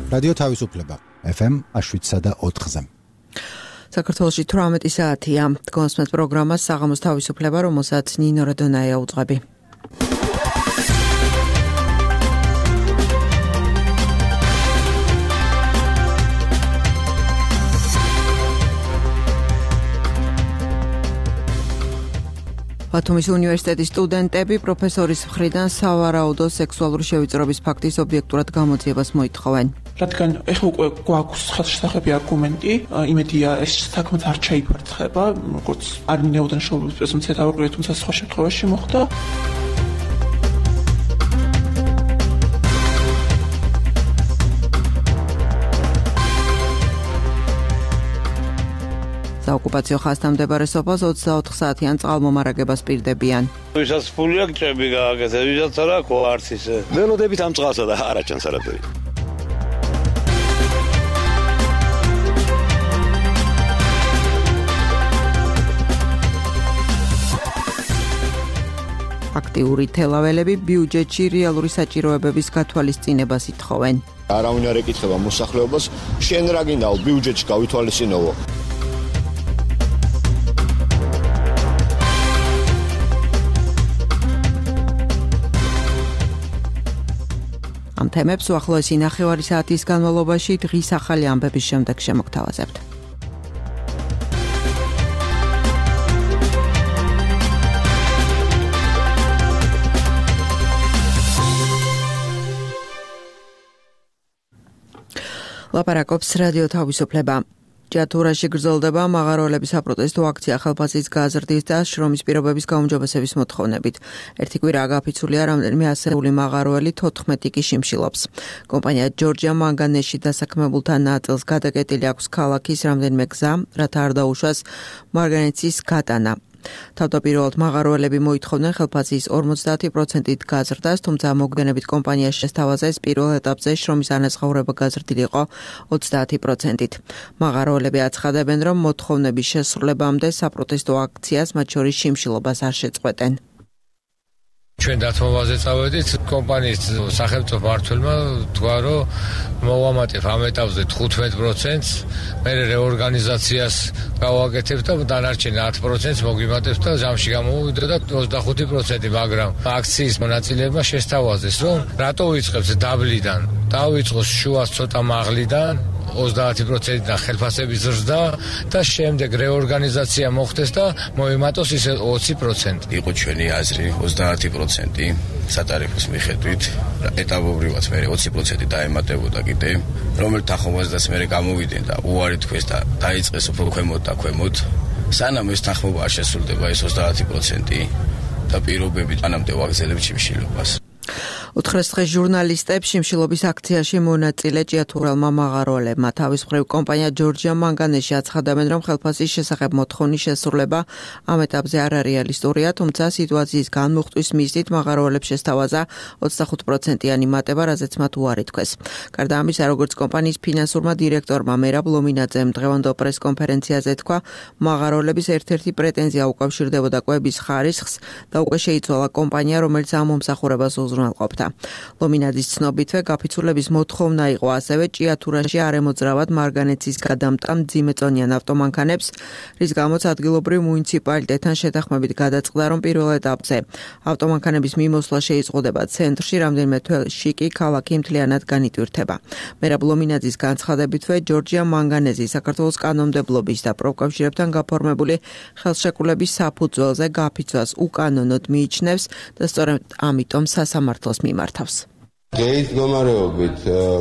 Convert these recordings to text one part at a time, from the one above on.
რადიო თავისუფლება FM 7.4-ზე. საქართველოში 18 საათია. გონსმენთ პროგრამას საღამოს თავისუფლება, რომელსაც ნინო რადონაია უძღვები. ბათუმის უნივერსიტეტის სტუდენტები პროფესორის მხრიდან სავარაუდო სექსუალური შევიწროების ფაქტის ობიექტურად გამოძიებას მოითხოვენ. რადგან ეხლა უკვე გვაქვს ხელშესახები არგუმენტი, იმედია ეს საქმეც არ ჩაიფარცხება, როგორც არ მინეოდან შოუს პრეზუმცია დავაყრია, თუმცა სხვა შემთხვევაში მოხდა. ოკუპაციო ხაზთან მდებარე სოფელს 24 საათიან წყალმომარაგებას პირდებიან. ვისაც ფული აქვს ჭები გააკეთე, ვისაც არა ხო არც ისე. ველოდებით ამ წყალსა და არა ჩანს არაფერი. აქტიური თელაველები ბიუჯეტში რეალური საჭიროებების გათვალისწინებას ითხოვენ. არავინ არ ეკითხება მოსახლეობას, შენ რა გინდაო ბიუჯეტში გავითვალისწინოო. ამ თემებს უახლოესი ნახევარი საათის განმავლობაში დღის ახალი ამბების შემდეგ შემოგთავაზებთ. ლაპარაკობს რადიო თავისუფლება. ჭიათურაში გრძელდება მაღაროელების საპროტესტო აქცია ხელფასის გაზრდის და შრომის პირობების გაუმჯობესების მოთხოვნებით. ერთი კვირა გაფიცულია, რამდენიმე ასეული მაღაროელი 14 კი შიმშილობს. კომპანია ჯორჯია მანგანეში დასაქმებულთა ნაწილს გადაკეტილი აქვს ქალაქის რამდენიმე გზა, რათა არ დაუშვას მარგანეცის გატანა. თავდაპირველად მაღაროელები მოითხოვდნენ ხელფასის 50%-ით გაზრდას, თუმცა მოგვიანებით კომპანია შესთავაზეს პირველ ეტაპზე შრომის ანაზღაურება გაზრდილიყო 30%-ით. მაღაროელები აცხადებენ, რომ მოთხოვნების შესრულებამდე საპროტესტო აქციას, მათ შორის შიმშილობას არ შეწყვეტენ. ჩვენ დათმობაზე წავედით, კომპანიის სახელმწიფო მმართველმა თქვა, რომ მოვამატებ ამ ეტაპზე 15%-ს, მე რეორგანიზაციას გავაკეთებ და დანარჩენ 10%-ს მოგვიმატებთ და ჯამში გამოვიდა და 25%, მაგრამ აქციის მონაწილეებმა შესთავაზეს, რომ რატო ვიწყებთ დაბლიდან, დავიწყოს შუას ცოტა მაღლიდან 30%-დან ხელფასების ზრდა და შემდეგ რეორგანიზაცია მოხდეს და მოიმატოს ისე 20%. იყო ჩვენი აზრი 30% სატარიფოს მიხედვით, ეტაპობრივად მე 20% დაემატებოდა კიდე, რომელიც თანხმობაზედაც მე გამოვიდნენ და უარი თქვეს და დაიწყეს უფრო ქვემოთ და ქვემოთ. სანამ ეს თანხმობა არ შესრულდება ეს 30% და პირობები ანამდე ვაგზელებთ შიმშილობას. უთხრეს დღეს ჟურნალისტებს შიმშილობის აქციაში მონაწილე ჭიათურელმა მაღაროელებმა. თავის მხრივ კომპანია ჯორჯია მანგანეში აცხადებენ, რომ ხელფასის შესახებ მოთხოვნის შესრულება ამ ეტაპზე არ არის რეალისტურია, თუმცა სიტუაციის განმუხტვის მიზნით მაღაროელებს შესთავაზა 25%-იანი მატება, რაზეც მათ უარი თქვეს. გარდა ამისა, როგორც კომპანიის ფინანსურმა დირექტორმა მერაბ ლომინაძემ დღევანდელ პრესკონფერენციაზე თქვა, მაღაროელების ერთ-ერთი პრეტენზია უკავშირდებოდა კვების ხარისხს და უკვე შეიცვალა კომპანია, რომელიც ამ მომსახურებას უზრუნველყოფდა. ლომინაძის ცნობითვე გაფიცულების მოთხოვნა იყო ასევე ჭიათურაში არ ემოძრავად მარგანეცის გადამტან მძიმეწონიან ავტომანქანებს, რის გამოც ადგილობრივ მუნიციპალიტეტთან შეთანხმებით გადაწყდა, რომ პირველ ეტაპზე ავტომანქანების მიმოსვლა შეიზღუდება ცენტრში, რამდენიმე თვეში კი ქალაქი მთლიანად განიტვირთება. მერაბ ლომინაძის განცხადებითვე ჯორჯია მანგანეზი საქართველოს კანონმდებლობის და პროფკავშირებთან გაფორმებული ხელშეკრულების საფუძველზე გაფიცვას უკანონოდ მიიჩნევს და სწორედ ამიტომ სასამართლოს მიმართავს. გეის მდგომარეობით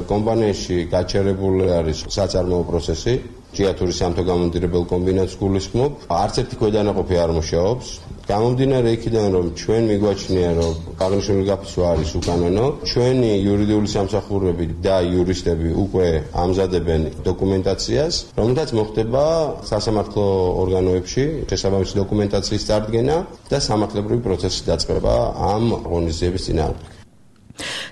კომპანიაში გაჩერებული არის საწარმოო პროცესი. ჭიათურის სამთო-გამომდინებელ კომბინატს გულისხმობ. არც ერთი ქვედანაყოფი არ მუშაობს. გამომდინარე იქიდან, რომ ჩვენ მიგვაჩნია, რომ აღნიშნული გაფიცვა არის უკანონო, ჩვენი იურიდიული სამსახურები და იურისტები უკვე ამზადებენ დოკუმენტაციას, რომელთაც მოხდება სასამართლო ორგანოებში შესაბამისი დოკუმენტაციის წარდგენა და სამართლებრივი პროცესის დაწყება ამ ღონისძიების წინააღმდეგ.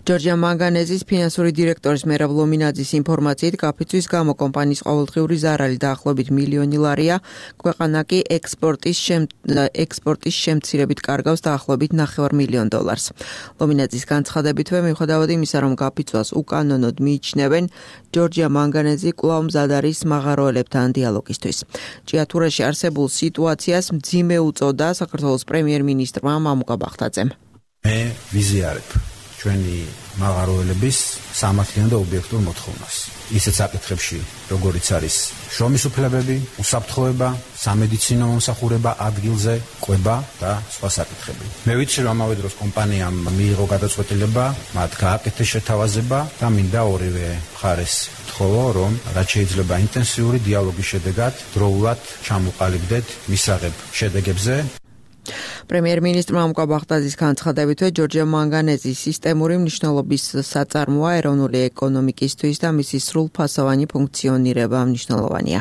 ჯორჯია მანგანეზის ფინანსური დირექტორის მერაბ ლომინაძის ინფორმაციით, გაფიცვის გამო კომპანიის ყოველდღიური ზარალი დაახლოებით $1,000,000 ლარია, ქვეყანა კი ექსპორტის შემცირებით კარგავს დაახლოებით $500,000. ლომინაძის განცხადებითვე, მიუხედავად იმისა, რომ გაფიცვას უკანონოდ მიიჩნევენ, ჯორჯია მანგანეზი კვლავ მზად არის მაღაროელებთან დიალოგისთვის. ჭიათურაში არსებულ სიტუაციას მძიმე უწოდა საქართველოს პრემიერ-მინისტრმა მამუკა ბახტაძემ. მე ვიზიარებ ჩვენი მაღაროელების სამართლიან და ობიექტურ მოთხოვნას. ისეთ საკითხებში, როგორიც არის შრომის უფლებები, უსაფრთხოება, სამედიცინო მომსახურება ადგილზე, კვება და სხვა საკითხები. მე ვიცი, რომ ამავე დროს კომპანიამ მიიღო გადაწყვეტილება, მათ გააკეთეს შეთავაზება და მინდა ორივე მხარეს ვთხოვო, რომ რაც შეიძლება ინტენსიური დიალოგის შედეგად დროულად ჩამოყალიბდეთ მისაღებ შედეგებზე. პრემიერ-მინისტრმა მამუკა ბახტაძის განცხადებითვე, ჯორჯია მანგანეზის სისტემური მნიშვნელობის საწარმოა ეროვნული ეკონომიკისთვის და მისი სრულფასოვანი ფუნქციონირება მნიშვნელოვანია.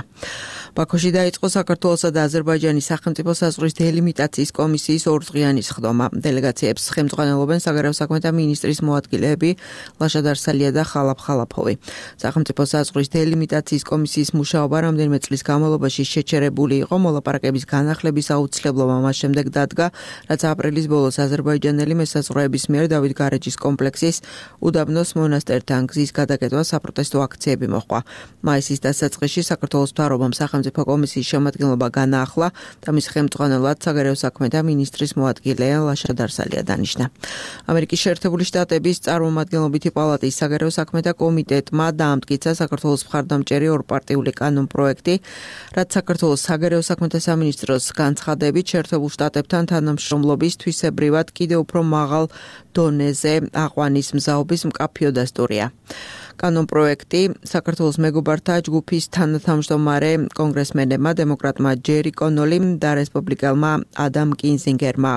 ბაქოში დაიწყო საქართველოსა და აზერბაიჯანის სახელმწიფო საზღვრის დელიმიტაციის კომისიის ორდღიანი სხდომა. დელეგაციებს ხელმძღვანელობენ საგარეო საქმეთა მინისტრის მოადგილეები ლაშა დარსალია და ხალაფ ხალაფოვი. სახელმწიფო საზღვრის დელიმიტაციის კომისიის მუშაობა რამდენიმე წლის განმავლობაში შეჩერებული იყო, მოლაპარაკების განახლების აუცილებლობა მას შემდეგ დადგა, რაც აპრილის ბოლოს აზერბაიჯანელი მესაზღვრეების მიერ დავით გარეჯის კომპლექსის უდაბნოს მონასტერთან გზის გადაკეთვა საპროტესტო აქციები მოჰყვა. მაისის დასაწყისში საქართველოს მთავრობამ სახელმწიფო კომისიის შემადგენლობა განაახლა და მის ხელმძღვანელად საგარეო საქმეთა მინისტრის მოადგილე ლაშა დარსალია დანიშნა. ამერიკის შეერთებული შტატების წარმომადგენლობითი პალატის საგარეო საქმეთა კომიტეტმა დაამტკიცა საქართველოს მხარდამჭერი ორპარტიული კანონპროექტი, რაც საქართველოს საგარეო საქმეთა სამინისტროს განცხადებით შეერთებულ შტატებთან თანამშრომლობის თვისებრივად კიდევ უფრო მაღალ დონეზე აყვანის მზაობის მკაფიო დასტურია. კანონპროექტი საქართველოს მეგობართა ჯგუფის თანათავმჯდომარე კონგრესმენებმა, დემოკრატმა ჯერი კონოლიმ და რესპუბლიკელმა ადამ კინზინგერმა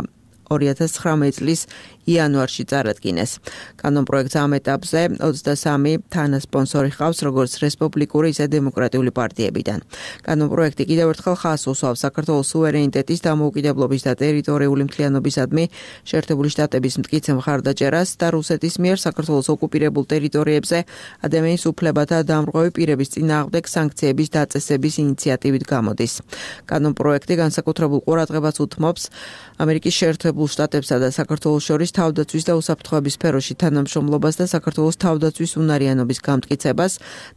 2019 წლის იანვარში წარადგინეს. კანონპროექტს ამ ეტაპზე 23 თანასპონსორი ჰყავს, როგორც რესპუბლიკური, ისე დემოკრატიული პარტიებიდან. კანონპროექტი კიდევ ერთხელ ხაზს უსვამს საქართველოს სუვერენიტეტის, დამოუკიდებლობის და ტერიტორიული მთლიანობისადმი შეერთებული შტატების მტკიცე მხარდაჭერას და რუსეთის მიერ საქართველოს ოკუპირებულ ტერიტორიებზე ადამიანის უფლებათა დამრღვევი პირების წინააღმდეგ სანქციების დაწესების ინიციატივით გამოდის. კანონპროექტი განსაკუთრებულ ყურადღებას უთმობს ამერიკის შეერთებულ შტატებსა და საქართველოს შორის თავდაცვის და უსაფრთხოების სფეროში თანამშრომლობას და საქართველოს თავდაცვის უნარიანობის გამტკიცებას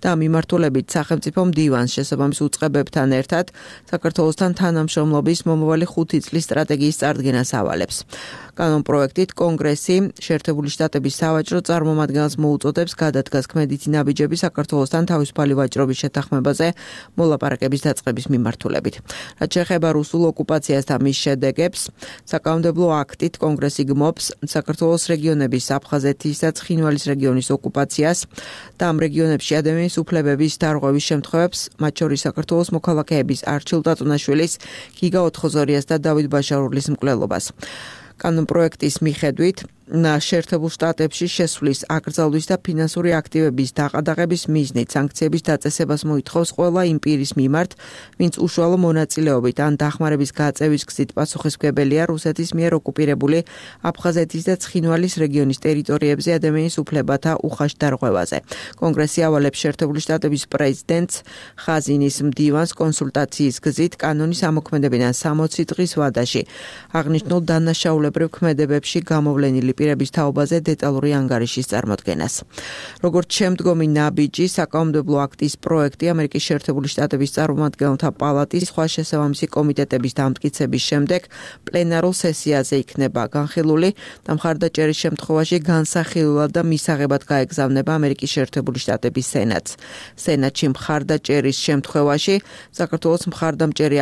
და მიმართულებით სახელმწიფო მდივანს შესაბამის უწყებებთან ერთად საქართველოსთან თანამშრომლობის მომავალი 5 წლის სტრატეგიის წარდგენას ავალებს. კანონპროექტით კონგრესი შეერთებული შტატების სავაჭრო წარმომადგენელს მოუწოდებს გადადგას ქმედითი ნაბიჯები საქართველოსთან თავისუფალი ვაჭრობის შეთანხმებაზე მოლაპარაკების დაწყების მიმართულებით. რაც შეეხება რუსულ ოკუპაციას და მის შედეგებს, საკანონმდებლო აქტით კონგრესი გმობს საქართველოს რეგიონების აფხაზეთის და ცხინვალის რეგიონის ოკუპაციას და ამ რეგიონებში ადამიანის უფლებების დარღვევის შემთხვევებს, მათ შორის საქართველოს მოქალაქეების არჩილ ტატუნაშვილის, გიგა ოთხოზორიას და დავით ბაშარულის მკვლელობას. კანონპროექტის მიხედვით შეერთებულ შტატებში შესვლის, აკრძალვის და ფინანსური აქტივების დაყადაღების მიზნით სანქციების დაწესებას მოითხოვს ყველა იმ პირის მიმართ, ვინც უშუალო მონაწილეობით ან დახმარების გაწევის გზით პასუხისმგებელია რუსეთის მიერ ოკუპირებული აფხაზეთის და ცხინვალის რეგიონის ტერიტორიებზე ადამიანის უფლებათა უხაშ დარღვევაზე. კონგრესი ავალებს შეერთებული შტატების პრეზიდენტს ხაზინის მდივანს კონსულტაციის გზით კანონის ამოქმედებიდან 60 დღის ვადაში აღნიშნულ დანაშაულებრივ ქმედებებში გამოვლენილი პირების თაობაზე დეტალური ანგარიშის წარმოდგენას. როგორც შემდგომი ნაბიჯი, საკანონმდებლო აქტის პროექტი ამერიკის შეერთებული შტატების წარმომადგენელთა პალატის სხვა შესაბამისი კომიტეტების დამტკიცების შემდეგ პლენარულ სესიაზე იქნება განხილული და მხარდაჭერის შემთხვევაში განსახილულად და მისაღებად გაეგზავნება ამერიკის შეერთებული შტატების სენატს. სენატში მხარდაჭერის შემთხვევაში საქართველოს მხარდამჭერი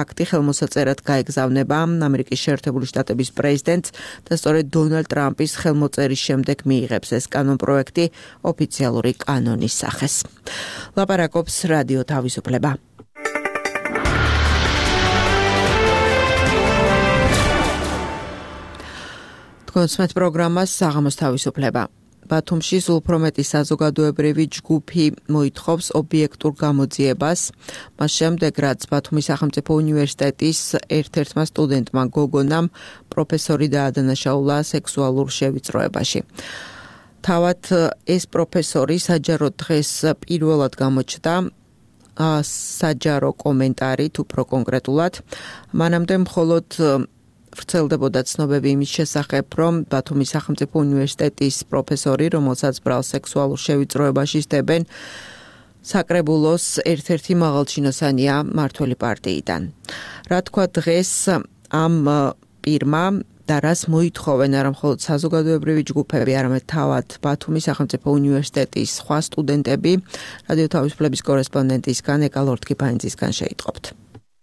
აქტი ხელმოსაწერად გაეგზავნება ამერიკის შეერთებული შტატების პრეზიდენტს და სწორედ დონალდ ტრამპის ხელმოწერის შემდეგ მიიღებს ეს კანონპროექტი ოფიციალური კანონის სახეს. ლაპარაკობს რადიო თავისუფლება. თქვენ სმენთ პროგრამას საღამოს თავისუფლება. ბათუმში სულ უფრო მეტი საზოგადოებრივი ჯგუფი მოითხოვს ობიექტურ გამოძიებას. მას შემდეგ, რაც ბათუმის სახელმწიფო უნივერსიტეტის ერთ-ერთმა სტუდენტმა გოგონამ პროფესორი დაადანაშაულა სექსუალურ შევიწროებაში. თავად ეს პროფესორი საჯაროდ დღეს პირველად გამოჩნდა საჯარო კომენტარით, უფრო კონკრეტულად. მანამდე მხოლოდ ვრცელდებოდა ცნობები იმის შესახებ, რომ ბათუმის სახელმწიფო უნივერსიტეტის პროფესორი, რომელსაც ბრალს სექსუალურ შევიწროებაში სდებენ, საკრებულოს ერთ-ერთი მაღალჩინოსანია მმართველი პარტიიდან. რა თქვა დღეს ამ პირმა და რას მოითხოვენ არა მხოლოდ საზოგადოებრივი ჯგუფები, არამედ თავად ბათუმის სახელმწიფო უნივერსიტეტის სხვა სტუდენტები, რადიო თავისუფლების კორესპონდენტისგან ეკა ლორთქიფანიძისგან შეიტყობთ.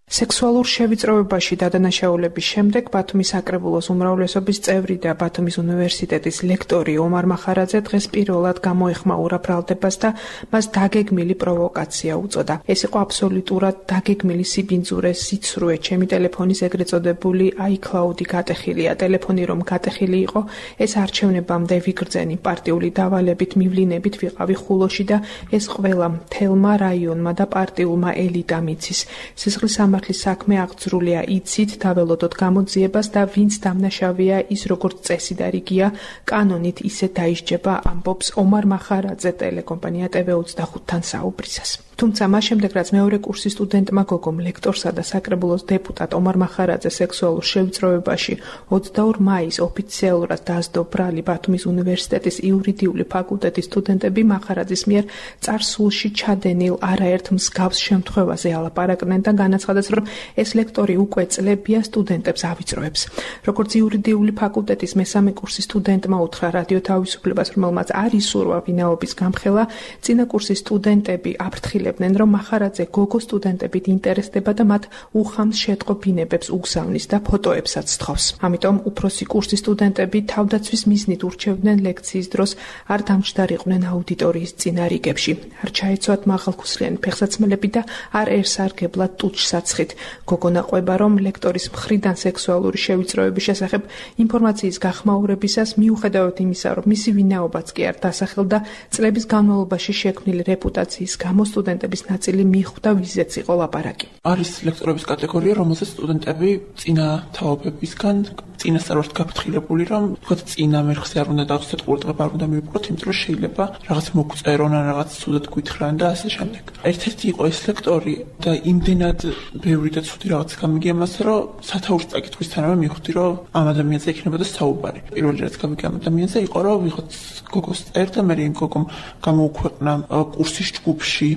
სექსუალურ შევიწროებაში დადანაშაულების შემდეგ ბათუმის საკრებულოს უმრავლესობის წევრი და ბათუმის უნივერსიტეტის ლექტორი ომარ მახარაძე დღეს პირველად გამოეხმაურა ბრალდებას და მას დაგეგმილი პროვოკაცია უწოდა. ეს იყო აბსოლუტურად დაგეგმილი სიბინძურე, სიცრუე, ჩემი ტელეფონის ეგრეთ წოდებული iCloud-ი გატეხილია. ტელეფონი რომ გატეხილი იყო, ეს არჩევნებამდე ვიგრძენი პარტიული დავალებით, მივლინებით ვიყავი ხულოში და ეს ყველა მთელმა რაიონმა და პარტიულმა ელიტამ იცის. სისხლის სამართლის საქმე აღძრულია, იცით, დაველოდოთ გამოძიებას და ვინც დამნაშავეა, ის როგორც წესი და რიგია, კანონით ისე დაისჯება, ამბობს ომარ მახარაძე ტელეკომპანია TV25-თან საუბრისას. თუმცა მას შემდეგ, რაც მეორე კურსის სტუდენტმა გოგომ ლექტორსა და საკრებულოს დეპუტატ ომარ მახარაძე სექსუალურ შევიწროებაში 22 მაისს ოფიციალურად დაასდო ბრალი ბათუმის უნივერსიტეტის იურიდიული ფაკულტეტის სტუდენტები მახარაძის მიერ წარსულში ჩადენილ არაერთ მსგავს შემთხვევაზე ალაპარაკდნენ და განაცხადეს, რომ ეს ლექტორი უკვე წლებია სტუდენტებს ავიწროებს. როგორც იურიდიული ფაკულტეტის მესამე კურსის სტუდენტმა უთხრა რადიო თავისუფლებას, რომელმაც არ ისურვა ვინაობის გამხელა, წინა კურსის სტუდენტები აფრთხილ რომ მახარაძე გოგო სტუდენტებით ინტერესდება და მათ უხამს შეტყო ბინებებს უგზავნის და ფოტოებსაც სთხოვს. ამიტომ უფროსი კურსის სტუდენტები თავდაცვის მიზნით ურჩევდნენ ლექციის დროს არ დამჯდარიყვნენ აუდიტორიის წინა რიგებში. არ ჩაეცვათ მაღალქუსლიანი ფეხსაცმელები და არ ერსარგებლად ტუჩსაცხით. გოგონა ყვება, რომ ლექტორის მხრიდან სექსუალური შევიწროების შესახებ ინფორმაციის გახმაურებისას მიუხედავად იმისა, რომ მისი ვინაობაც კი არ დასახელდა, წლების განმავლობაში შექმნილი რეპუტაციის გამო სტუდენტების ნაწილი მიხვდა ვიზეც იყო ლაპარაკი. არის ლექტორების კატეგორია, რომელსაც სტუდენტები წინა თაობებისგან წინასწარ გაფრთხილებული, რომ თქვათ წინა მერხზე არ უნდა დავცეთ ყურადღება, არ უნდა მივიყვოთ, იმიტომ რომ შეიძლება რაღაც მოგწერონ ან რაღაც ცუდად გითხრან და ასე შემდეგ. ერთ-ერთი იყო ეს ლექტორი და იმდენად ბევრი და ცუდი რაღაც გამიგია მას, რომ სათაურის წაკითხვისთანავე მივხვდი, რომ ამ ადამიანზე იქნებოდა საუბარი. პირველი რაც გამიგია ამ ადამიანზე იყო, რომ ვიღაც გოგოს წერდა, მე გოგომ გამოუქვეყნა კურსის ჯგუფში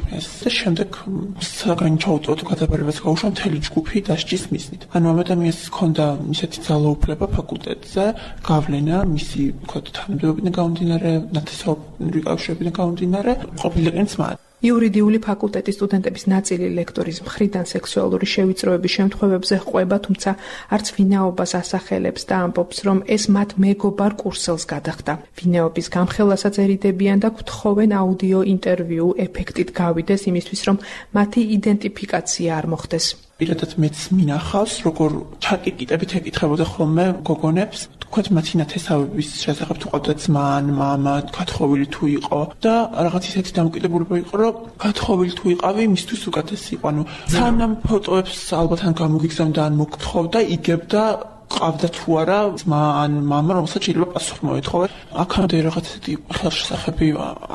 და შემდეგ საგანი ჩაუწევთ გადაბარებას გაუშვა მთელი ჯგუფი დასჯის მიზნით. ანუ ამ ადამიანს ჰქონდა ისეთი ძალაუფლება ფაკულტეტზე, გავლენა მისი ვთქვათ თანამდებობიდან გამომდინარე, ნათესაობრივი კავშირებიდან გამომდინარე, ყოფილიყენ ძმა. იურიდიული ფაკულტეტის სტუდენტების ნაწილი ლექტორის მხრიდან სექსუალური შევიწროების შემთხვევებზე ყვება, თუმცა არც ვინაობას ასახელებს და ამბობს, რომ ეს მათ მეგობარ კურსელს გადახდა. ვინაობის გამხელასაც ერიდებიან და გთხოვენ აუდიო ინტერვიუ ეფექტით გავიდეს იმისთვის, რომ მათი იდენტიფიკაცია არ მოხდეს. პირადად მეც მინახავს, როგორ ჩაკიკიტებით ეკითხებოდა ხოლმე გოგონებს, თქვათ მათი ნათესავების შესახებ თუ ყავდა ძმა ან მამა, გათხოვილი თუ იყო და რაღაც ისეთი დამოკიდებულება იყო, რომ გათხოვილი თუ იყავი, მისთვის უკეთესი იყო. ანუ სანამ ფოტოებს ალბათ ან გამოგიგზავნდა ან მოგთხოვდა, იგებდა ყავდა თუ არა ძმა ან მამა, რომელსაც შეიძლება პასუხი მოეთხოვე. აქამდე რაღაც ისეთი ხელშესახები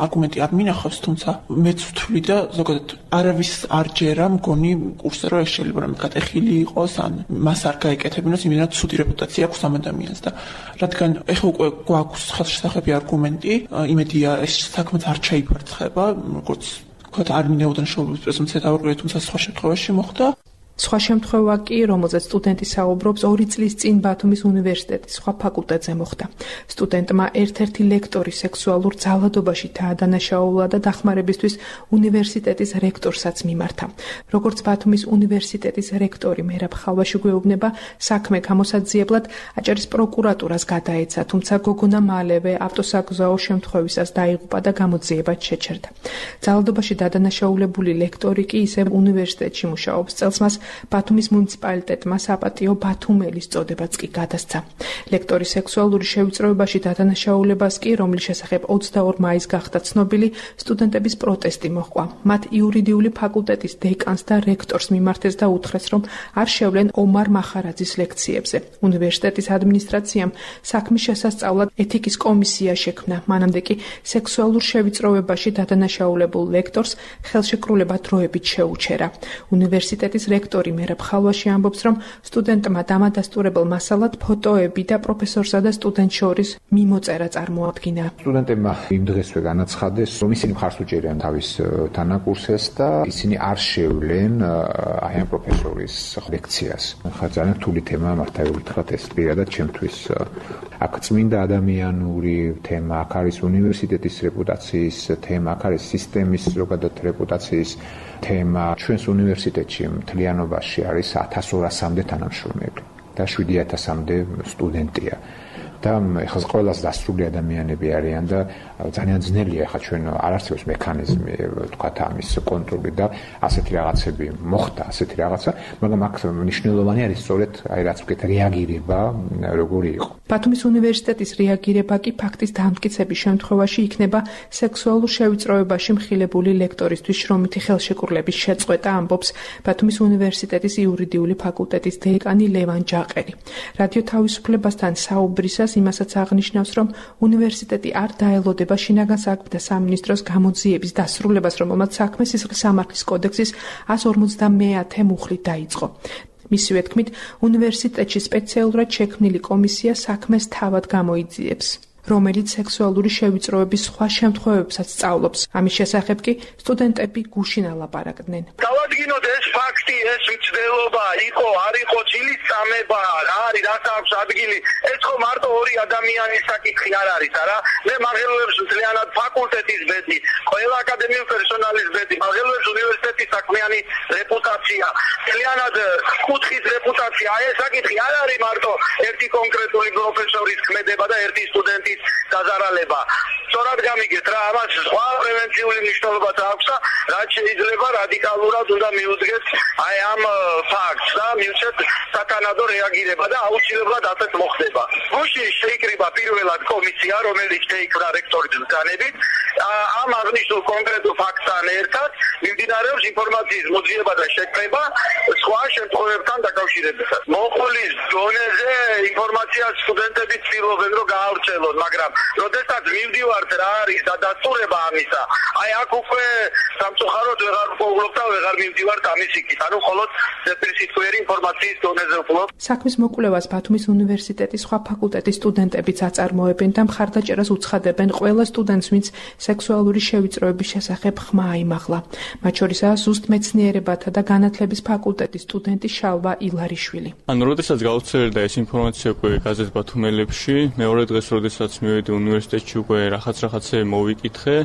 არგუმენტი არ მინახავს, თუმცა მეც ვთვლი და ზოგადად არავის არ ჯერა მგონი კურსზე, რომ ეს შეიძლება რომ გატეხილი იყოს, ან მას არ გაეკეთებინოს, იმედად ცუდი რეპუტაცია აქვს ამ ადამიანს და რადგან ეხლა უკვე გვაქვს ხელშესახები არგუმენტი, იმედია ეს საქმეც არ ჩაიფარცხება, როგორც ვთქვათ, არ მინეოდა შოუს პრესმცეთ ავიღე, თუმცა სხვა შემთხვევაში მოხდა. სხვა შემთხვევა კი, რომელზეც სტუდენტი საუბრობს, 2 წლის წინ ბათუმის უნივერსიტეტის სხვა ფაკულტეტზე მოხდა. სტუდენტმა ერთ-ერთი ლექტორი სექსუალურ ძალადობაში დაადანაშაულა და დახმარებისთვის უნივერსიტეტის რექტორსაც მიმართა. როგორც ბათუმის უნივერსიტეტის რექტორი მერაბ ხალვაში გვეუბნება, საქმე გამოსაძიებლად აჭარის პროკურატურას გადაეცა, თუმცა გოგონა მალევე ავტოსაგზაო შემთხვევისას დაიღუპა და გამოძიებაც შეჩერდა. ძალადობაში დადანაშაულებული ლექტორი კი ისევ უნივერსიტეტში მუშაობს, წელს მას ბათუმის მუნიციპალიტეტმა საპატიო ბათუმელის წოდებაც კი გადასცა. ლექტორის სექსუალური შევიწროებაში დადანაშაულებას კი, რომლის შესახებ 22 მაისს გახდა ცნობილი, სტუდენტების პროტესტი მოჰყვა. მათ იურიდიული ფაკულტეტის დეკანს და რექტორს მიმართეს და უთხრეს, რომ არ შევლენ ომარ მახარაძის ლექციებზე. უნივერსიტეტის ადმინისტრაციამ საქმის შესასწავლად ეთიკის კომისია შექმნა. მანამდე კი სექსუალურ შევიწროებაში დადანაშაულებულ ლექტორს ხელშეკრულება დროებით შეუჩერა. უნივერსიტეტის რექტორი მერაბ ხალვაში ამბობს, რომ სტუდენტმა დამადასტურებელ მასალად ფოტოები და პროფესორსა და სტუდენტს შორის მიმოწერა წარმოადგინა. სტუდენტებმა იმ დღესვე განაცხადეს, რომ ისინი მხარს უჭერიან თავის თანაკურსეს და ისინი არ შევლენ აი ამ პროფესორის ლექციას. ხა ძალიან რთული თემაა მართლა ვითხრათ ეს პირადად ჩემთვის. აქ წმინდა ადამიანური თემა, აქ არის უნივერსიტეტის რეპუტაციის თემა, აქ არის სისტემის ზოგადად რეპუტაციის თემა. ჩვენს უნივერსიტეტში მთლიანობაში არის 1200-მდე თანამშრომელი და 7000-მდე სტუდენტია. და ეხლა ყველას დასრული ადამიანები არიან და ძალიან ძნელია ხა ჩვენ არ არსებობს მექანიზმი თქვათ ამის კონტროლი და ასეთი რაღაცები მოხდა, ასეთი რაღაცა, მაგრამ აქ მნიშვნელოვანი არის სწორედ აი რაც ვქეთ რეაგირება როგორი იყო. ბათუმის უნივერსიტეტის რეაგირება კი ფაქტის დამტკიცების შემთხვევაში იქნება სექსუალურ შევიწროებაში მხილებული ლექტორისთვის შრომითი ხელშეკრულების შეწყვეტა, ამბობს ბათუმის უნივერსიტეტის იურიდიული ფაკულტეტის დეკანი ლევან ჯაყელი. რადიო თავისუფლებასთან საუბრისას იმასაც აღნიშნავს, რომ უნივერსიტეტი არ დაელოდება შინაგან საქმეთა სამინისტროს გამოძიების დასრულებას, რომელმაც საქმე სისხლის სამართლის კოდექსის 150-ე მუხლით დაიწყო. მისივე თქმით, უნივერსიტეტში სპეციალურად შექმნილი კომისია საქმეს თავად გამოიძიებს, რომელიც სექსუალური შევიწროების სხვა შემთხვევებსაც სწავლობს. ამის შესახებ კი სტუდენტები გუშინ ალაპარაკდნენ. დავადგინოთ ეს ფაქტი, ეს მცდელობა იყო, არ იყო ცილისწამება, რა არის, რათა აქვს ადგილი. ეს ხო მარტო ორი ადამიანის საკითხი არ არის, არა? მე მაღელვებს მთლიანად ფაკულტეტის ბედი, ყველა აკადემიურ პერსონალის ბედი, მაღელვებს უნივერსიტეტის საქმიანი რეპუტაცია, მთლიანად კუთხის რეპუტაცია. აი ეს საკითხი არ არის მარტო ერთი კონკრეტული პროფესორის ქმედება და ერთი სტუდენტის დაზარალება. სწორად გამიგეთ რა, ამას სხვა პრევენციული მნიშვნელობაც აქვს და რაც შეიძლება რადიკალურად უნდა მიუძღეთ აი ამ ფაქტს და მივცეთ სათანადო რეაგირება და აუცილებლად ასეც მოხდება. გუშინ შეიკრიბა პირველად კომისია, რომელიც შეიქმნა რექტორის განებით, ამ აღნიშნულ კონკრეტულ ფაქტთან ერთად მიმდინარეობს ინფორმაციის მოძიება და შეკრება სხვა შემთხვევებთან დაკავშირებისას. მოყოლის დონეზე ინფორმაციას სტუდენტები ცდილობენ რომ გაავრცელონ, მაგრამ როდესაც მივდივართ რა არის დადასტურება ამისა, აი აქ უკვე სამწუხაროდ ვეღარ ვპოულობ და ვეღარ მივდივართ ამის იქით, ანუ მხოლოდ ზეპირსიტყვიერი ინფორმაციის დონეზე ვფლობ. საქმის მოკლევას ბათუმის უნივერსიტეტის სხვა ფაკულტეტის სტუდენტებიც აწარმოებენ და მხარდაჭერას უცხადებენ ყველა სტუდენტს, ვინც სექსუალური შევიწროების შესახებ ხმა აიმაღლა. მათ შორისაა ზუსტ მეცნიერებათა და განათლების ფაკულტეტის სტუდენტი შალვა ილარიშვილი. ანუ როდესაც გავრცელდა ეს ინფორმაცია უკვე გაზეთ ბათუმელებში, მეორე დღეს როდესაც მივედი უნივერსიტეტში უკვე რაღაცე მოვიკითხე,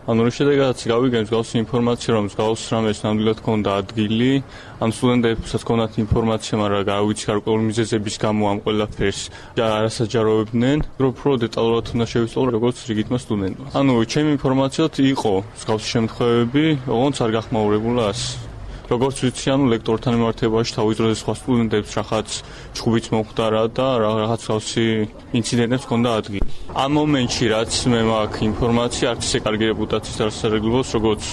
ანუ შედეგადაც გავიგე მსგავსი ინფორმაცია, რომ მსგავს რამეს ნამდვილად ჰქონდა ადგილი, ამ სტუდენტებსაც ჰქონდათ ინფორმაცია, მაგრამ რა ვიცი, გარკვეული მიზეზების გამო ამ ყველაფერს არასაჯაროებდნენ, რომ უფრო დეტალურად უნდა შევისწავლო როგორც რიგითმა სტუდენტმა. ანუ ჩემი ინფორმაციით იყო მსგავსი შემთხვევები, ოღონდ არ გახმაურებულა ასე. როგორც ვიცი, ანუ ლექტორთან მიმართებაში თავისდროზე სხვა სტუდენტებს რაღაც ჭუბიც მომხდარა და რაღაც ხალხი ინციდენტებს ჰქონდა ადგილი. ამ მომენტში რაც მე მაქვს ინფორმაცია, არც ისე კარგი რეპუტაციის დასარეგლოს, როგორც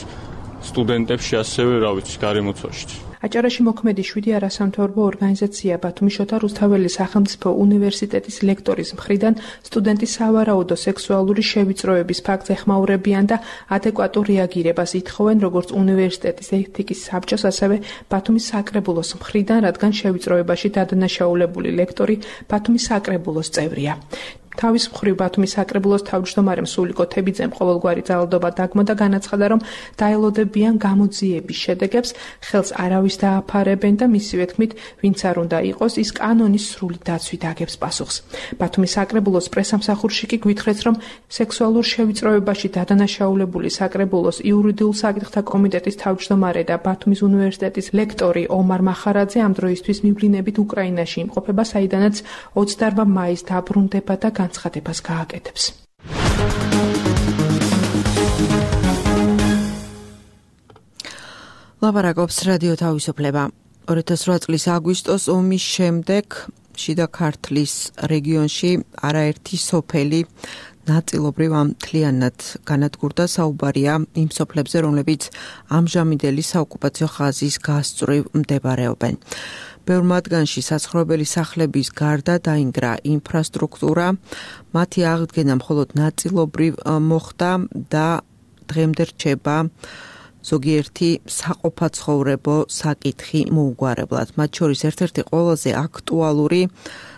სტუდენტებში, ასევე, რა ვიცი, გარემოცვაშიც. აჭარაში მოქმედი 7 არასამთავრობო ორგანიზაცია ბათუმის შოთა რუსთაველის სახელმწიფო უნივერსიტეტის ლექტორის მხრიდან სტუდენტის სავარაუდო სექსუალური შევიწროების ფაქტს ეხმაურებიან და ადეკვატურ რეაგირებას ითხოვენ როგორც უნივერსიტეტის ეთიკის საბჭოს, ასევე ბათუმის საკრებულოს მხრიდან, რადგან შევიწროებაში დადანაშაულებული ლექტორი ბათუმის საკრებულოს წევრია. თავის მხრივ ბათუმის საკრებულოს თავმჯდომარემ სულიკო თებიძემ ყოველგვარი ძალადობა დაგმო და განაცხადა, რომ დაელოდებიან გამოძიების შედეგებს, ხელს არავის დააფარებენ და მისივე თქმით, ვინც არ უნდა იყოს, ის კანონის სრული დაცვით აგებს პასუხს. ბათუმის საკრებულოს პრესამსახურში კი გვითხრეს, რომ სექსუალურ შევიწროებაში დადანაშაულებული საკრებულოს იურიდიულ საკითხთა კომიტეტის თავმჯდომარე და ბათუმის უნივერსიტეტის ლექტორი ომარ მახარაძე ამ დროისთვის მივლინებით უკრაინაში იმყოფება, საიდანაც 28 მაისს დაბრუნდება და განცხადებას გააკეთებს. ლაპარაკობს რადიო თავისუფლება. 2008 წლის აგვისტოს ომის შემდეგ შიდა ქართლის რეგიონში არაერთი სოფელი ნაწილობრივ ამ მთლიანად განადგურდა. საუბარია იმ სოფლებზე, რომლებიც ამჟამინდელი საოკუპაციო ხაზის გასწვრივ მდებარეობენ. ბევრ მათგანში საცხოვრებელი სახლების გარდა დაინგრა ინფრასტრუქტურა, მათი აღდგენა მხოლოდ ნაწილობრივ მოხდა და დღემდე რჩება ზოგიერთი საყოფაცხოვრებო საკითხი მოუგვარებლად. მათ შორის ერთ-ერთი ყველაზე აქტუალური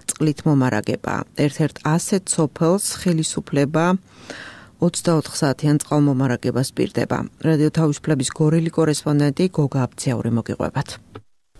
წყლით მომარაგება. ერთ-ერთ ასეთ სოფელს ხელისუფლება 24 საათიან წყალმომარაგებას პირდება. რადიო თავისუფლების გორელი კორესპონდენტი გოგა აბციაური მოგიყვებათ.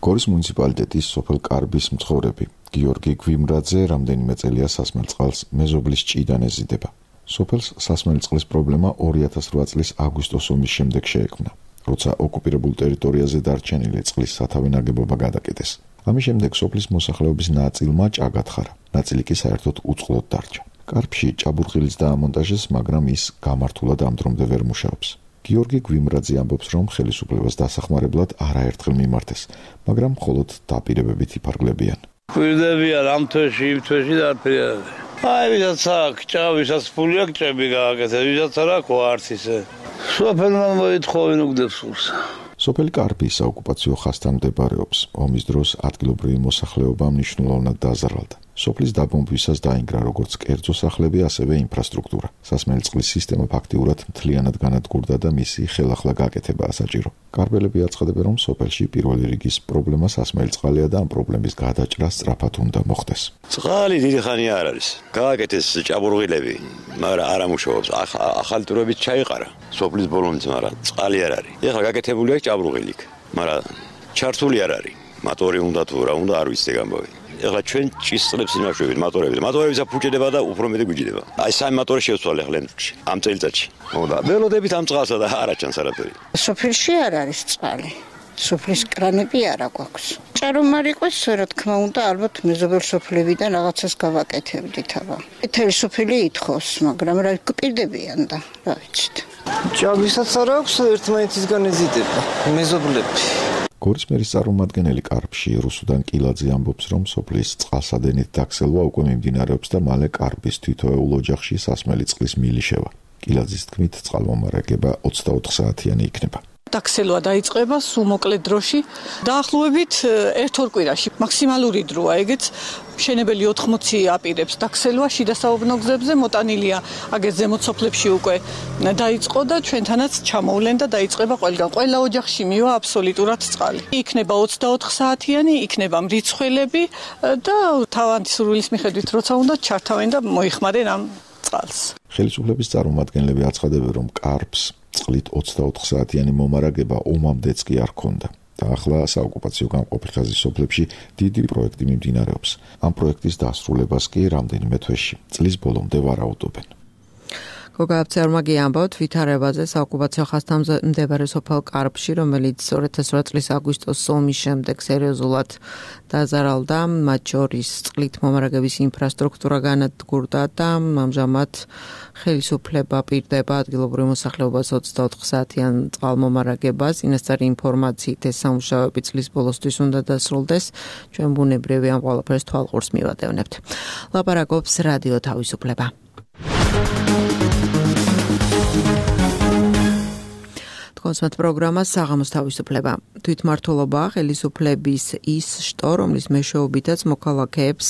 გორის მუნიციპალიტეტის სოფელ კარბის მცხოვრები გიორგი გვიმრაძე რამდენიმე წელია სასმელ წყალს მეზობლის ჭიდან ეზიდება. სოფელს სასმელი წყლის პრობლემა 2008 წლის აგვისტოს ომის შემდეგ შეექმნა, როცა ოკუპირებულ ტერიტორიაზე დარჩენილი წყლის სათავე ნაგებობა გადაკეტეს. ამის შემდეგ სოფლის მოსახლეობის ნაწილმა ჭაგათხარა, ნაწილი კი საერთოდ უწყლოდ დარჩა. კარბში ჭაბურღილიც დაამონტაჟეს, მაგრამ ის გამართულად ამ დრომდე ვერ მუშაობს. გიორგი გვიმრაძე ამბობს, რომ ხელისუფლებას დასახმარებლად არაერთხელ მიმართეს, მაგრამ მხოლოდ დაპირებებით იფარგლებიან. გვირდებიან ამ თვეში, იმ თვეში და არაფერი არ არის. აი, ვისაც აქვს ჭა, ვისაც ფული აქვს, ჭები გააკეთეს, ვისაც არ აქვს, არც ისე. სოფელმა მოითხოვენ უგდებს ფულს. სოფელი კარბი საოკუპაციო ხაზთან მდებარეობს. ომის დროს ადგილობრივი მოსახლეობა მნიშვნელოვნად დაზარალდა. სოფლის დაბომბვისას დაინგრა როგორც კერძო სახლები, ასევე ინფრასტრუქტურა. სასმელი წყლის სისტემა ფაქტიურად მთლიანად განადგურდა და მისი ხელახლა გაკეთებაა საჭირო. კარბელები აცხადებენ, რომ სოფელში პირველი რიგის პრობლემა სასმელი წყალია და ამ პრობლემის გადაჭრა სწრაფად უნდა მოხდეს. წყალი დიდი ხანია არ არის. გააკეთეს ჭაბურღილები, მაგრამ არ ამუშავებს. ახალი ტურებით ჩაიყარა სოფლის ბოლომდე, მაგრამ წყალი არ არის. ეხლა გაკეთებულია ჭაბურღილი, მაგრამ ჩართული არ არის. მოტორი უნდა თუ რა უნდა არ ვიცი გამბავი. ეხლა ჩვენ ჭისწყლებს იმაშვებით მოტორები. მოტორებისა ფუჭდება და უფრო მეტი გვიჯდება. აი სამი მოტორი შევცვალე ახლა ამ წელიწადში. და ველოდებით ამ წყალსა და არ აჩანს არაფერი. სოფელში არ არის წყალი. სოფლის კრანები არ აქვს. ჭარომ არ იყოს, რა თქმა უნდა, ალბათ მეზობელ სოფლებიდან რაღაცას გავაკეთებდით, აბა. ეთერი სოფელი ითხოვს, მაგრამ რა გპირდებიან და რა ვიცით. ჭაბისაც არ აქვს, ერთმანეთისგან ეზიდება მეზობლები. გორის მერის წარმომადგენელი კარბში რუსუდან კილაძე ამბობს, რომ სოფლის წყალსადენით დაქცევა უკვე მიმდინარეობს და მალე კარბის თითოეულ ოჯახში სასმელი წყლის მილიშევა. კილაძის თქმით, წყალმომარაგება 24 საათიანი იქნება. დაქცევა დაიწყება სულ მოკლე დროში, დაახლოებით 1-2 კვირაში. მაქსიმალური დროა ეგეც. მშენებელი 80 აპირებს დაქცევა შიდა საუბნო გზებზე, მოტანილია აგერ ზემოთ სოფლებში უკვე დაიწყო და ჩვენთანაც ჩამოვლენ და დაიწყება ყველგან. ყველა ოჯახში მივა აბსოლუტურად წყალი. იქნება 24 საათიანი, იქნება მრიცხველები და თავანთი სურვილის მიხედვით როცა უნდა ჩართავენ და მოიხმარენ ამ წყალს. ხელისუფლების წარმომადგენლები აცხადებენ, რომ კარბს წყლით 24 საათიანი მომარაგება ომამდეც კი არ ქონდა. და ახლა საოკუპაციო გამყოფილ ხაზის სოფლებში დიდი პროექტი მიმდინარეობს. ამ პროექტის დასრულებას კი რამდენიმე თვეში, წლის ბოლომდე ვარაუდობენ. გოგა აბციაურმა გიამბობთ ვითარებაზე საოკუპაციო ხაზთან მდებარე სოფელ კარბში, რომელიც 2008 წლის აგვისტოს ომის შემდეგ სერიოზულად დაზარალდა, მათ შორის წყლით მომარაგების ინფრასტრუქტურა განადგურდა და ამჟამად ხელისუფლება პირდება ადგილობრივ მოსახლეობას 24 საათიან წყალმომარაგებას. წინასწარი ინფორმაციით ეს სამუშაოები წლის ბოლოსთვის უნდა დასრულდეს. ჩვენ ბუნებრივია ამ ყველაფერს თვალყურს მივადევნებთ. ლაპარაკობს რადიო თავისუფლება. კონსმეთ პროგრამა საღამოს თავისუფლება. თვითმმართველობა ხელისუფლების ის შტო, რომლის მეშვეობითაც მოქალაქეებს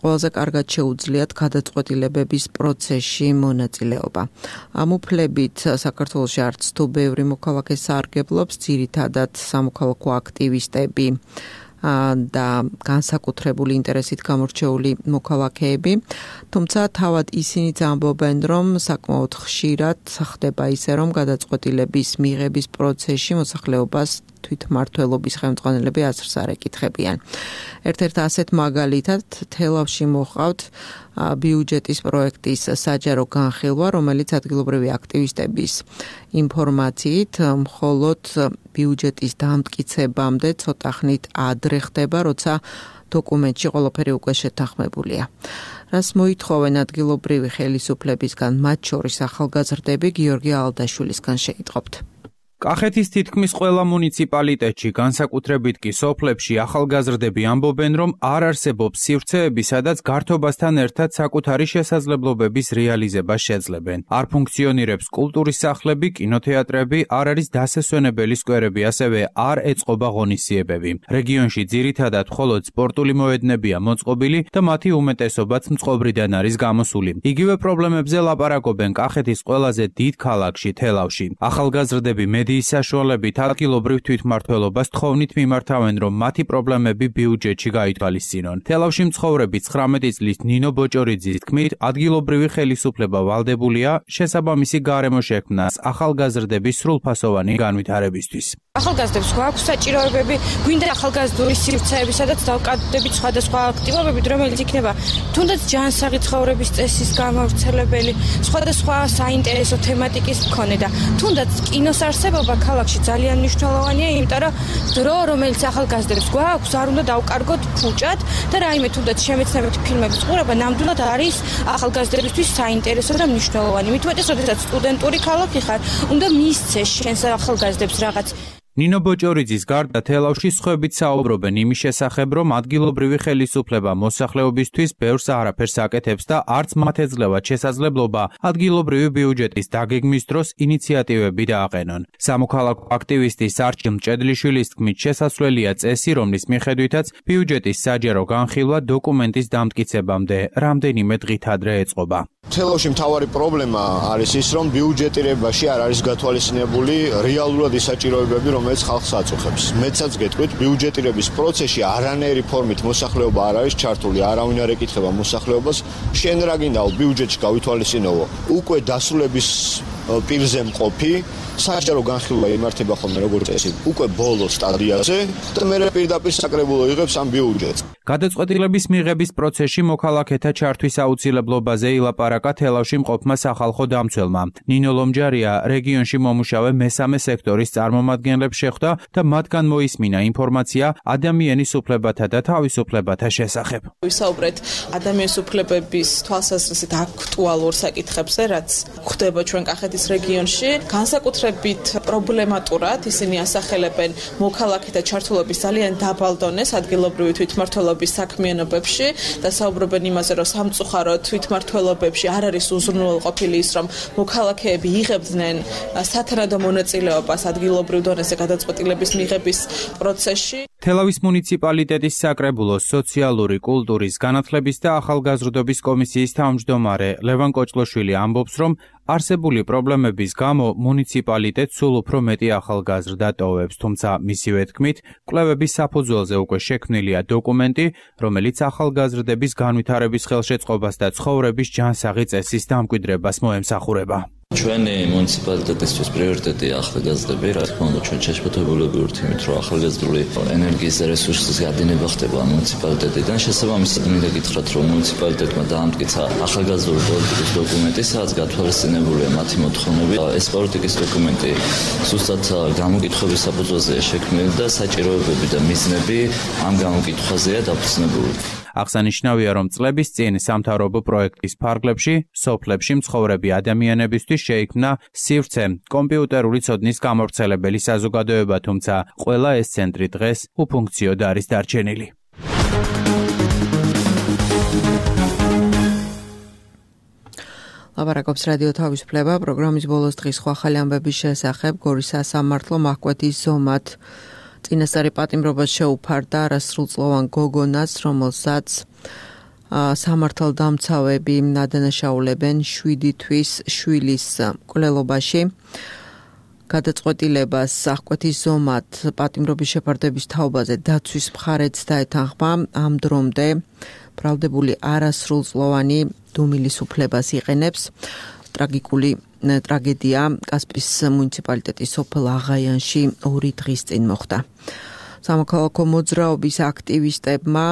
ყველაზე კარგად შეუძლიათ გადაწყვეტილებების პროცესში მონაწილეობა. ამ უფლებით საქართველოში არც თუ ბევრი მოქალაქე სარგებლობს, ძირითადად სამოქალაქო აქტივისტები და განსაკუთრებული ინტერესით გამორჩეული მოქალაქეები, თუმცა თავად ისინიც ამბობენ, რომ საკმაოდ ხშირად ხდება ისე, რომ გადაწყვეტილების მიღების პროცესში მოსახლეობას თვითმმართველობის ხელმძღვანელები აზრს არ ეკითხებიან. ერთ-ერთ ასეთ მაგალითად თელავში მოჰყავთ ბიუჯეტის პროექტის საჯარო განხილვა, რომელიც ადგილობრივი აქტივისტების ინფორმაციით მხოლოდ ბიუჯეტის დამტკიცებამდე ცოტა ხნით ადრე ხდება, როცა დოკუმენტში ყველაფერი უკვე შეთანხმებულია. რას მოითხოვენ ადგილობრივი ხელისუფლებისგან, მათ შორის ახალგაზრდები, გიორგი ალდაშვილისგან შეიტყობთ. კახეთის თითქმის ყველა მუნიციპალიტეტში, განსაკუთრებით კი სოფლებში ახალგაზრდები ამბობენ, რომ არ არსებობს სივრცეები, სადაც გართობასთან ერთად საკუთარი შესაძლებლობების რეალიზება შეძლებენ. არ ფუნქციონირებს კულტურის სახლები, კინოთეატრები, არ არის დასასვენებელი სკვერები, ასევე არ ეწყობა ღონისძიებები. რეგიონში ძირითადად მხოლოდ სპორტული მოედნებია მოწყობილი და მათი უმეტესობაც მწყობრიდან არის გამოსული. იგივე პრობლემებზე ლაპარაკობენ კახეთის ყველაზე დიდ ქალაქში, თელავში. ახალგაზრდები მედიის საშუალებით ადგილობრივ თვითმმართველობას თხოვნით მიმართავენ, რომ მათი პრობლემები ბიუჯეტში გაითვალისწინონ. თელავში მცხოვრები 19 წლის ნინო ბოჭორიძის თქმით, ადგილობრივი ხელისუფლება ვალდებულია შესაბამისი გარემო შექმნას ახალგაზრდების სრულფასოვანი განვითარებისთვის. ახალგაზრდებს გვაქვს საჭიროებები, გვინდა ახალგაზრდული სივრცეები, სადაც დავკარგდებით სხვადასხვა აქტივობებით, რომელიც იქნება თუნდაც ჯანსაღი ცხოვრების წესის გამავრცელებელი, სხვადასხვა საინტერესო თემატიკის მქონე და თუნდაც კინოს არსებობა ქალაქში ძალიან მნიშვნელოვანია, იმიტომ რომ დრო, რომელიც ახალგაზრდებს გვაქვს, არ უნდა დავკარგოთ ფუჭად და რაიმე თუნდაც შემეცნებითი ფილმების ყურება ნამდვილად არის ახალგაზრდებისთვის საინტერესო და მნიშვნელოვანი. მით უმეტეს, როდესაც სტუდენტური ქალაქი ხარ, უნდა მისცეს შენს ახალგაზრდებს რაღაც. ნინო ბოჭორიძის გარდა თელავში სხვაებით საუბრობენ იმის შესახებ, რომ ადგილობრივი ხელისუფლება მოსახლეობისთვის ბევრს არაფერს აკეთებს და არც მათ ეძლევათ შესაძლებლობა ადგილობრივი ბიუჯეტის დაგეგმვის დროს ინიციატივები დააყენონ. სამოქალაქო აქტივისტის არჩილ მჭედლიშვილის თქმით, შესაძლებელია წესი, რომლის მიხედვითაც ბიუჯეტის საჯარო განხილვა დოკუმენტის დამტკიცებამდე რამდენიმე დღით ადრე ეწყობა. თელავში მთავარი პრობლემა არის ის, რომ ბიუჯეტირებაში არ არის გათვალისწინებული რეალურად ის საჭიროებები, რომელიც ხალხს აწუხებს. მეცაც გეტყვით, ბიუჯეტირების პროცესში არანაირი ფორმით მოსახლეობა არ არის ჩართული, არავინ არ ეკითხება მოსახლეობას, შენ რა გინდაო ბიუჯეტში გავითვალისწინოო. უკვე დასრულების პირზე მყოფი საჯარო განხილვა იმართება ხოლმე როგორც წესი, უკვე ბოლო სტადიაზე და მე პირდაპირ საკრებულო იღებს ამ ბიუჯეტს. გადაწყვეტილების მიღების პროცესში მოქალაქეთა ჩართვის აუცილებლობაზე ილაპარაკა თელავში მყოფმა სახალხო დამცველმა. ნინო ლომჯარია რეგიონში მომუშავე მესამე სექტორის წარმომადგენლებს შეხვდა და მათგან მოისმინა ინფორმაცია ადამიანის უფლებათა და თავისუფლებათა შესახებ. ვისაუბრეთ ადამიანის უფლებების თვალსაზრისით აქტუალურ საკითხებზე, რაც ხდება ჩვენ კახეთის რეგიონში, განსაკუთრებით პრობლემატურად ისინი ასახელებენ მოქალაქეთა ჩართულობის ძალიან დაბალ დონეს ადგილობრივი თვითმმართველობის საქმიანობებში და საუბრობენ იმაზე, რომ სამწუხარო თვითმმართველობებში არ არის უზრუნველყოფილი ის, რომ მოქალაქეები იღებდნენ სათანადო მონაწილეობას ადგილობრივ დონეზე გადაწყვეტილების მიღების პროცესში. თელავის მუნიციპალიტეტის საკრებულოს სოციალური, კულტურის, განათლების და ახალგაზრდობის კომისიის თავმჯდომარე ლევან კოჭლოშვილი ამბობს, რომ არსებული პრობლემების გამო მუნიციპალიტეტს სულ უფრო მეტი ახალგაზრდა ტოვებს, თუმცა მისივე თქმით, კვლევების საფუძველზე უკვე შექმნილია დოკუმენტი, რომელიც ახალგაზრდების განვითარების ხელშეწყობას და ცხოვრების ჯანსაღი წესის დამკვიდრებას მოემსახურება. ჩვენი მუნიციპალიტეტისთვის პრიორიტეტია ახალგაზრდები, რა თქმა უნდა, ჩვენ შეშფოთებულები ვართ იმით, რომ ახალგაზრდული ენერგიის და რესურსის გადინება ხდება მუნიციპალიტეტიდან. შესაბამისად, მინდა გითხრათ, რომ მუნიციპალიტეტმა დაამტკიცა ახალგაზრდული პოლიტიკის დოკუმენტი, სადაც გათვალისწინებულია მათი მოთხოვნები. ეს პოლიტიკის დოკუმენტი სუსტად გამოკითხვების საფუძველზეა შექმნილი და საჭიროებები და მიზნები ამ გამოკითხვაზეა დაფუძნებული. აღსანიშნავია, რომ წლების წინ სამთავრობო პროექტის ფარგლებში, სოფლებში მცხოვრები ადამიანებისთვის შეიქმნა სივრცე კომპიუტერული ცოდნის გამავრცელებელი საზოგადოება, თუმცა ყველა ეს ცენტრი დღეს უფუნქციოდ არის დარჩენილი. ლაპარაკობს რადიო თავისუფლება, პროგრამის ბოლოს დღის სხვა ახალი ამბების შესახებ გორის სასამართლო მაჰკვეთის ზომად წინასწარი პატიმრობას შეუფარდა არასრულწლოვან გოგონას, რომელსაც სამართალდამცავები ადანაშაულებენ 7 თვის შვილის მკვლელობაში. გადაწყვეტილებას აღკვეთის ზომად პატიმრობის შეფარდების თაობაზე დაცვის მხარეც დაეთანხმა, ამ დრომდე ბრალდებული არასრულწლოვანი დუმილის უფლებას იყენებს. ტრაგიკული ტრაგედია კასპის მუნიციპალიტეტის სოფელ აღაიანში 2 დღის წინ მოხდა. სამოქალაქო მოძრაობის აქტივისტებმა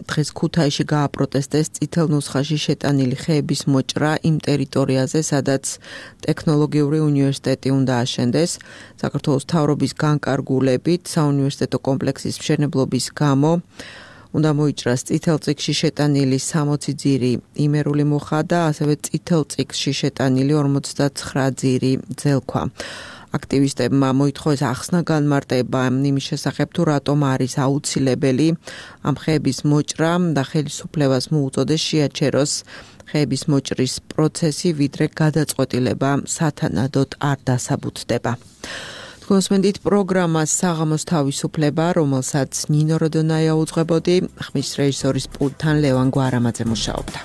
დღეს ქუთაისში გააპროტესტეს წითელ ნუსხაში შეტანილი ხეების მოჭრა იმ ტერიტორიაზე, სადაც ტექნოლოგიური უნივერსიტეტი უნდა აშენდეს. საქართველოს მთავრობის განკარგულებით საუნივერსიტეტო კომპლექსის მშენებლობის გამო უნდა მოიჭრას წითელ წიგნში შეტანილი 60 ძირი იმერული მუხა და ასევე წითელ წიგნში შეტანილი 59 ძირი ძელქვა. აქტივისტებმა მოითხოვეს ახსნა განმარტება იმის შესახებ, თუ რატომ არის აუცილებელი ამ ხეების მოჭრა და ხელისუფლებას მოუწოდეს შეაჩეროს ხეების მოჭრის პროცესი, ვიდრე გადაწყვეტილება სათანადოდ არ დასაბუთდება. Თქვენსმენდით პროგრამას საღამოს თავისუფლება, რომელსაც ნინო როდონაია უძღვებოდი, ხმის რეჟისორის პულტთან ლევან გვარამაძე მუშაობდა.